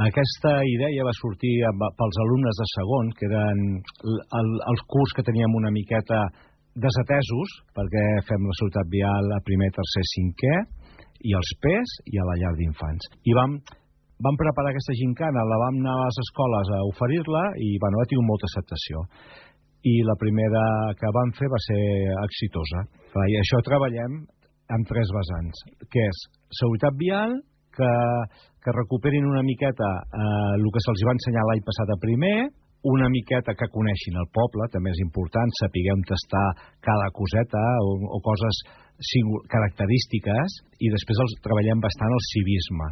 Aquesta idea va sortir pels alumnes de segon, que eren els curs que teníem una miqueta desatesos, perquè fem la seguretat vial a primer, tercer, cinquè, i els PES i a la llar d'infants. I vam preparar aquesta gincana, la vam anar a les escoles a oferir-la i ha tingut molta acceptació. I la primera que vam fer va ser exitosa. I això treballem amb 3 vessants, que és seguretat vial, que recuperin una miqueta el que se'ls va ensenyar l'any passat a primer, una miqueta que coneixin el poble, també és important, sapiguem tastar cada coseta o coses característiques, i després treballem bastant el civisme.